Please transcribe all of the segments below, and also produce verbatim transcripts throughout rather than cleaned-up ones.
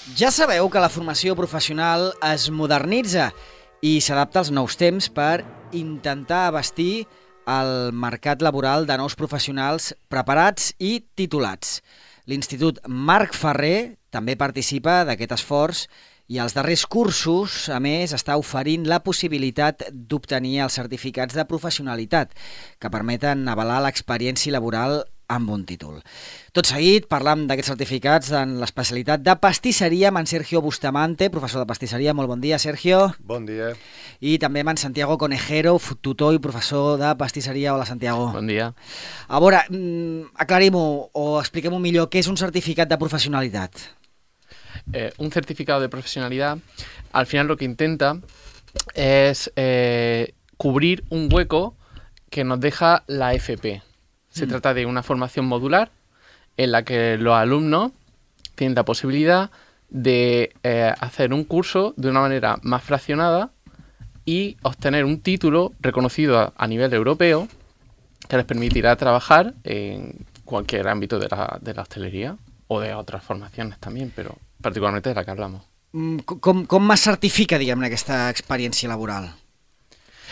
Ja sabeu que la formació professional es modernitza i s'adapta als nous temps per intentar abastir el mercat laboral de nous professionals preparats i titulats. L'Institut Marc Ferrer també participa d'aquest esforç i als darrers cursos, a més, està oferint la possibilitat d'obtenir els certificats de professionalitat que permeten avalar l'experiència laboral amb un títol. Tot seguit, parlam d'aquests certificats en l'especialitat de pastisseria amb en Sergio Bustamante, professor de pastisseria. Molt bon dia, Sergio. Bon dia. I també amb en Santiago Conejero, tutor i professor de pastisseria. Hola, Santiago. Bon dia. A veure, aclarim-ho o expliquem-ho millor, què és un certificat de professionalitat? Eh, un certificado de profesionalidad, al final lo que intenta es eh, cubrir un hueco que nos deja la F P. Se mm. trata de una formación modular en la que los alumnos tienen la posibilidad de eh, hacer un curso de una manera más fraccionada y obtener un título reconocido a, a nivel europeo que les permitirá trabajar en cualquier ámbito de la, de la hostelería o de otras formaciones también, pero particularmente de la que hablamos. Com, com es certifica, diguem-ne, aquesta experiència laboral?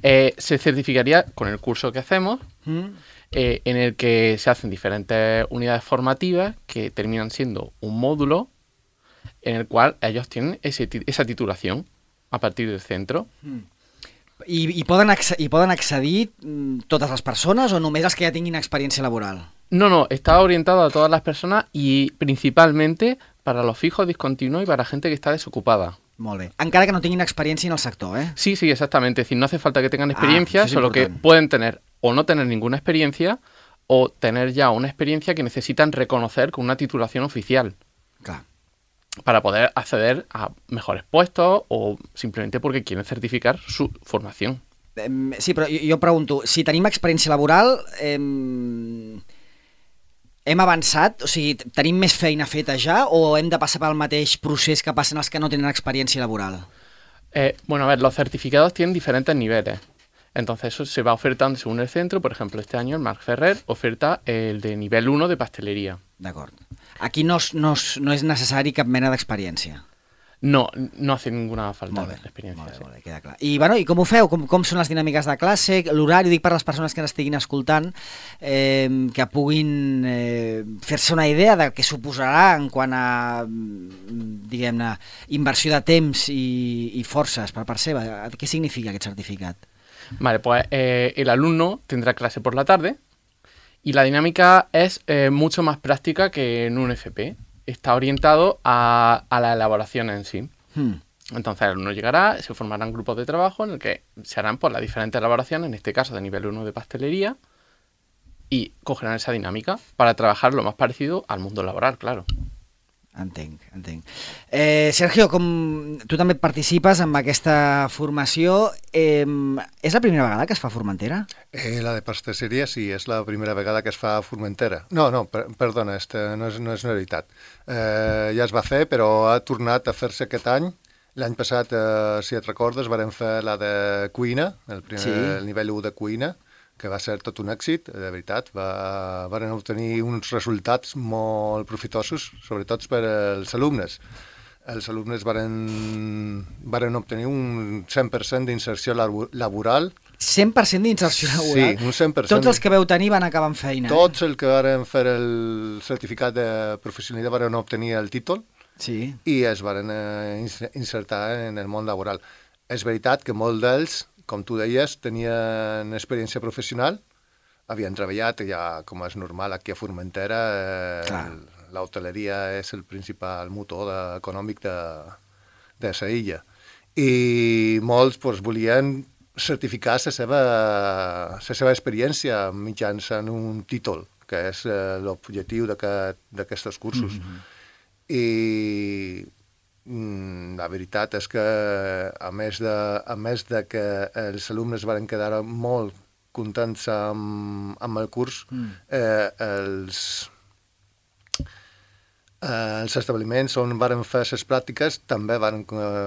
Eh, se certificaría con el curso que hacemos, mm. eh, en el que se hacen diferentes unidades formativas que terminan siendo un módulo en el cual ellos tienen ese, esa titulación a partir del centro. Mm. I, i, poden I poden accedir totes les persones o només els que ja tinguin experiència laboral? No, no, está orientado a todas las personas y principalmente para los fijos, discontinuos y para gente que está desocupada. Molt bé. Encara que no tinguin experiència en el sector, ¿eh? Sí, sí, exactamente. Es decir, no hace falta que tengan experiencia, ah, solo important. que pueden tener o no tener ninguna experiencia o tener ya una experiencia que necesitan reconocer con una titulación oficial. Clar. Para poder acceder a mejores puestos o simplemente porque quieren certificar su formación. Eh, sí, però jo, jo pregunto, si tenim experiència laboral, eh, hem avançat? O sigui, tenim més feina feta ja o hem de passar pel mateix procés que passen els que no tenen experiència laboral? Eh, bueno, a ver, los certificados tienen diferentes niveles. Entonces eso se va ofertando según el centro. Por ejemplo, este año el Marc Ferrer oferta el de nivel uno de pastelería. D'acord. Aquí no, no, no és necessari cap mena d'experiència. No, no hace ninguna falta d'experiència. Molt bé, sí. molt bé, queda clar. I, bueno, i com ho feu? Com, com són les dinàmiques de classe? L'horari, dic per les persones que ens estiguin escoltant, eh, que puguin eh, fer-se una idea de què suposarà en quant a, diguem-ne, inversió de temps i, i forces per part seva. Què significa aquest certificat? Vale, pues eh, el alumno tendrá clase por la tarde y la dinámica es eh, mucho más práctica que en un F P. Está orientado a, a la elaboración en sí. Hmm. Entonces el alumno llegará, se formarán grupos de trabajo en el que se harán pues, las diferentes elaboraciones, en este caso de nivel uno de pastelería, y cogerán esa dinámica para trabajar lo más parecido al mundo laboral, claro. Entenc, entenc. Eh, Sergio, com tu també participes en aquesta formació, eh, és la primera vegada que es fa a Formentera? Eh, la de pastisseria sí, és la primera vegada que es fa a Formentera. No, no, per, perdona, este, no, és, no és una veritat. Eh, ja es va fer, però ha tornat a fer-se aquest any. L'any passat, eh, si et recordes, vam fer la de cuina, el, primer, sí. el nivell u de cuina, que va ser tot un èxit, de veritat. Va, van obtenir uns resultats molt profitosos, sobretot per als alumnes. Els alumnes van, van obtenir un cent per cent d'inserció laboral. cent per cent d'inserció laboral? Sí, un cent per cent. Tots els que veu tenir van acabar amb feina? Tots els que van fer el certificat de professionalitat van obtenir el títol sí. i es van insertar en el món laboral. És veritat que molts d'ells, com tu deies, tenien experiència professional, havien treballat, ja com és normal aquí a Formentera, eh, l'hoteleria és el principal motor de, econòmic de, de la illa. I molts pues, volien certificar la seva, la seva experiència mitjançant un títol, que és eh, l'objectiu d'aquests cursos. Mm-hmm. I la veritat és que, a més de, a més de que els alumnes van quedar molt contents amb, amb el curs, mm. eh, els, eh, els establiments on van fer les pràctiques també van,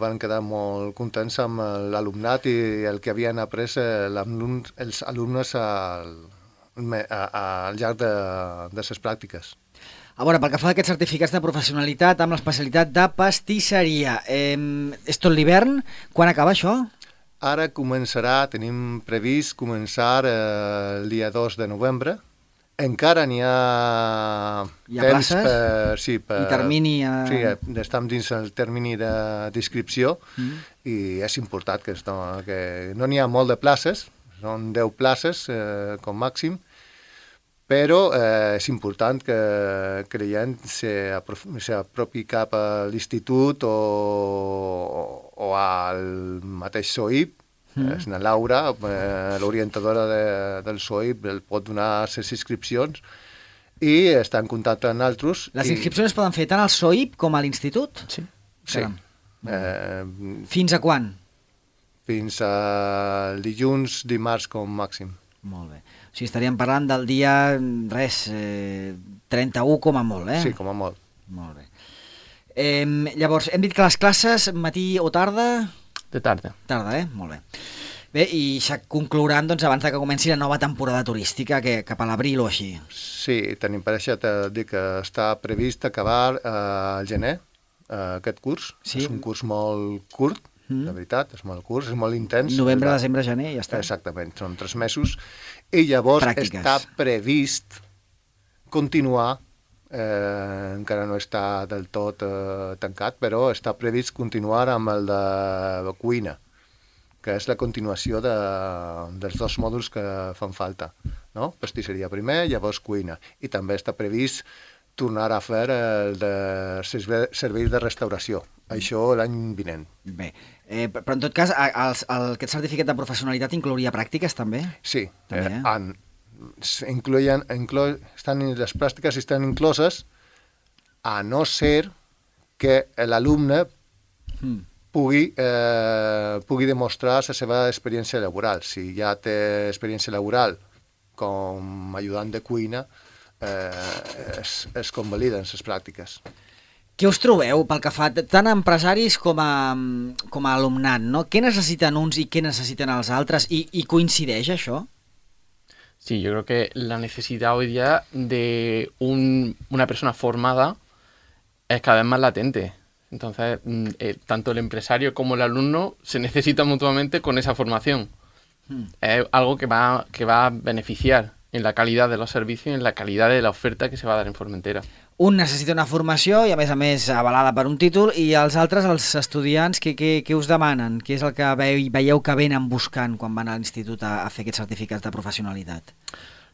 van quedar molt contents amb l'alumnat i el que havien après els alumnes al, al llarg de, de les pràctiques. A veure, pel que fa a aquests certificats de professionalitat amb l'especialitat de pastisseria, eh, és tot l'hivern? Quan acaba això? Ara començarà, tenim previst començar eh, el dia dos de novembre. Encara n'hi ha, Hi ha temps places? per... Sí, per, I termini a... Sí, estem dins el termini d'inscripció mm. i és important que, esto, que no n'hi ha molt de places, són deu places eh, com màxim, però eh, és important que creient s'apropi cap a l'institut o, o al mateix S O I P. Mm. És la Laura, eh, l'orientadora de, del S O I P, el pot donar les inscripcions i està en contacte amb altres. Les i... inscripcions es poden fer tant al S O I P com a l'institut? Sí. Sí. Eh, Fins a quan? fins al dilluns, dimarts com màxim. Molt bé. O sigui, estaríem parlant del dia, res, eh, trenta-u com a molt, eh? Sí, com a molt. Molt bé. Eh, llavors, hem dit que les classes, matí o tarda? De tarda. Tarda, eh? Molt bé. Bé, i ja conclouran, doncs, abans de que comenci la nova temporada turística, que cap a l'abril o així. Sí, tenim per això de dir que està previst acabar eh, al gener, eh, aquest curs. Sí. És un curs molt curt, mm. de veritat, és molt curt, és molt intens. Novembre, desembre, gener, ja està. Exactament, són tres mesos. I llavors Pràctiques. està previst continuar, eh, encara no està del tot eh, tancat, però està previst continuar amb el de cuina, que és la continuació de, dels dos mòduls que fan falta, no? Pastisseria primer, llavors cuina. I també està previst tornar a fer el de serveis de restauració, això l'any vinent. Bé, eh, però en tot cas, el, el, aquest certificat de professionalitat inclouria pràctiques també? Sí, també, eh, eh? en, incloien, inclo, estan, les pràctiques estan incloses a no ser que l'alumne mm. pugui, eh, pugui demostrar la seva experiència laboral. Si ja té experiència laboral com ajudant de cuina, eh, es, es convaliden les pràctiques. Què us trobeu pel que fa tant a empresaris com a, com a alumnat, no? Què necessiten uns i què necessiten els altres? I, i coincideix això? Sí, yo creo que la necesidad hoy día de un, una persona formada es cada vez más latente. Entonces, eh, tanto el empresario como el alumno se necesitan mutuamente con esa formación. Hmm. Es algo que va, que va a beneficiar en la calidad de los servicios y en la calidad de la oferta que se va a dar en Formentera. Un necessita una formació i, a més a més, avalada per un títol, i els altres, els estudiants, què, què, què us demanen? Què és el que veieu, veieu que venen buscant quan van a l'institut a, a fer aquests certificats de professionalitat?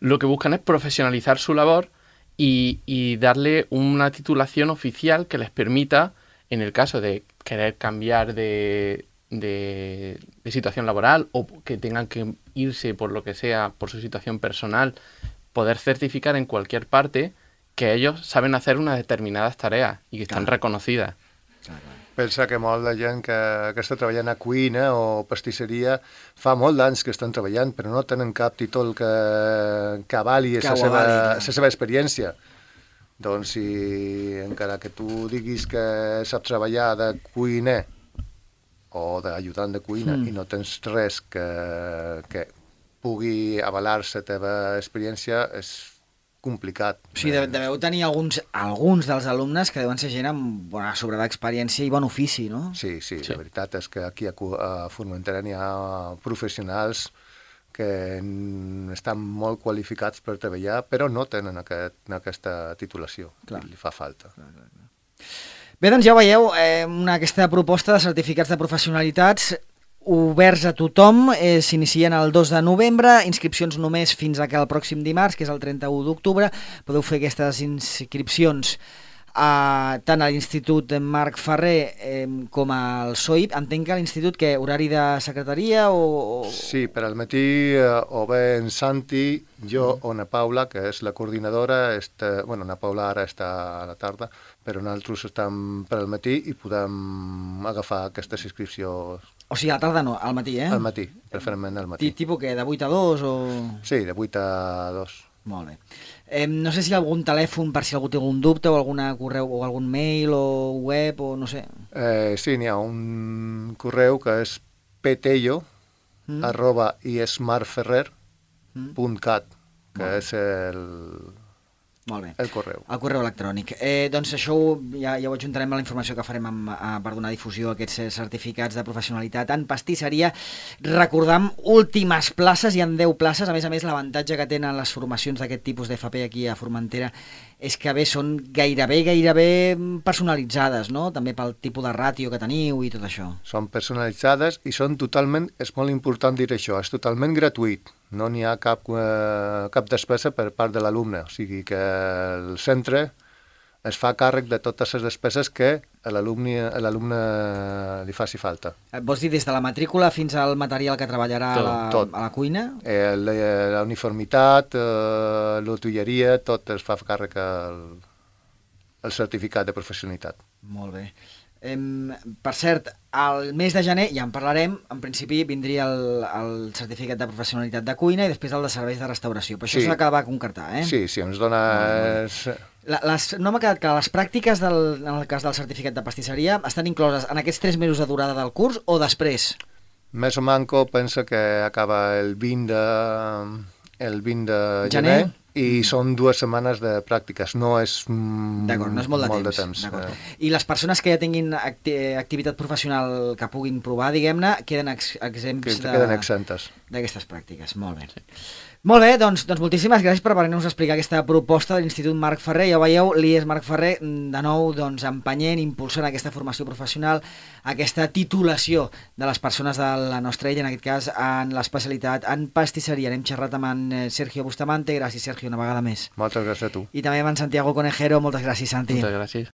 Lo que buscan es profesionalizar su labor y, y darle una titulación oficial que les permita, en el caso de querer cambiar de, de, de situación laboral o que tengan que irse por lo que sea, por su situación personal, poder certificar en cualquier parte que ellos saben hacer unas determinadas tareas y que están claro. reconocidas. Claro. Pensa que molt de gent que, que està treballant a cuina o pastisseria fa molt d'anys que estan treballant, però no tenen cap títol que, que avali la seva, seva experiència. Doncs si encara que tu diguis que saps treballar de cuiner o d'ajudant de cuina mm. i no tens res que, que pugui avalar la teva experiència, és complicat. O sigui, deveu tenir alguns, alguns dels alumnes que deuen ser gent amb bona sobrada experiència i bon ofici, no? Sí, sí, sí, la veritat és que aquí a, a Formentera n'hi ha professionals que estan molt qualificats per treballar, però no tenen aquest, aquesta titulació. Clar. Li fa falta. Clar, clar, clar. Bé, doncs ja ho veieu, eh, una, aquesta proposta de certificats de professionalitats oberts a tothom, eh, s'inicien el dos de novembre, inscripcions només fins a que el pròxim dimarts, que és el trenta-u d'octubre. Podeu fer aquestes inscripcions a, tant a l'Institut Marc Ferrer eh, com al S O I P. Entenc que a l'Institut, que horari de secretaria o...? Sí, per al matí eh, o bé en Santi, jo mm. o na Paula, que és la coordinadora, està, bueno, na Paula ara està a la tarda, però nosaltres estem per al matí i podem agafar aquestes inscripcions. O sigui, a la tarda no, al matí, eh? Al matí, preferentment al matí. Tipus què, de vuit a dos o...? Sí, de vuit a dos. Molt bé. Eh, no sé si hi ha algun telèfon per si algú té algun dubte o algun correu o algun mail o web o no sé. Eh, sí, n'hi ha un correu que és petello mm. arroba ismarferrer punt cat, que mm. és el, Molt bé. El correu. El correu electrònic. Eh, doncs això ho- ja, ja ho adjuntarem a la informació que farem amb, a, per donar difusió a aquests eh, certificats de professionalitat en pastisseria. Recordam, últimes places, hi ha deu places. A més a més, l'avantatge que tenen les formacions d'aquest tipus d'F P aquí a Formentera és que bé, són gairebé, gairebé personalitzades, no? També pel tipus de ràtio que teniu i tot això. Són personalitzades i són totalment, és molt important dir això, és totalment gratuït. No n'hi ha cap, eh, cap despesa per part de l'alumne. O sigui que el centre es fa càrrec de totes les despeses que a l'alumne a l'alumne li faci falta. Eh, Vols dir des de la matrícula fins al material que treballarà Tot, a, la, tot. a la cuina? Eh, la, la uniformitat, eh, l'utilleria, tot es fa càrrec al, al certificat de professionalitat. Molt bé. Em, per cert, al mes de gener, ja en parlarem, en principi vindria el, el certificat de professionalitat de cuina i després el de serveis de restauració. Però això Sí. s'ha d'acabar de concretar, eh? Sí, sí, ens dona... És, La, les, no m'ha quedat clar, les pràctiques del, en el cas del certificat de pastisseria estan incloses en aquests tres mesos de durada del curs o després? més o manco pensa que acaba el vint de, el vint de Gener? gener, i són dues setmanes de pràctiques, no és, mm, D'acord, no és molt de molt temps. de temps. D'acord. Eh, I les persones que ja tinguin acti activitat professional que puguin provar, diguem-ne, queden ex exempts que de- queden exentes. d'aquestes pràctiques. Molt bé. Molt bé, doncs, doncs moltíssimes gràcies per venir-nos a explicar aquesta proposta de l'Institut Marc Ferrer. Ja ho veieu, l'I E S Marc Ferrer, de nou, doncs, empenyent, impulsant aquesta formació professional, aquesta titulació de les persones de la nostra illa, en aquest cas, en l'especialitat en pastisseria. N'hem xerrat amb en eh, Sergio Bustamante. Gràcies, Sergio, una vegada més. Moltes gràcies a tu. I també amb en Santiago Conejero. Moltes gràcies, Santi. Moltes gràcies.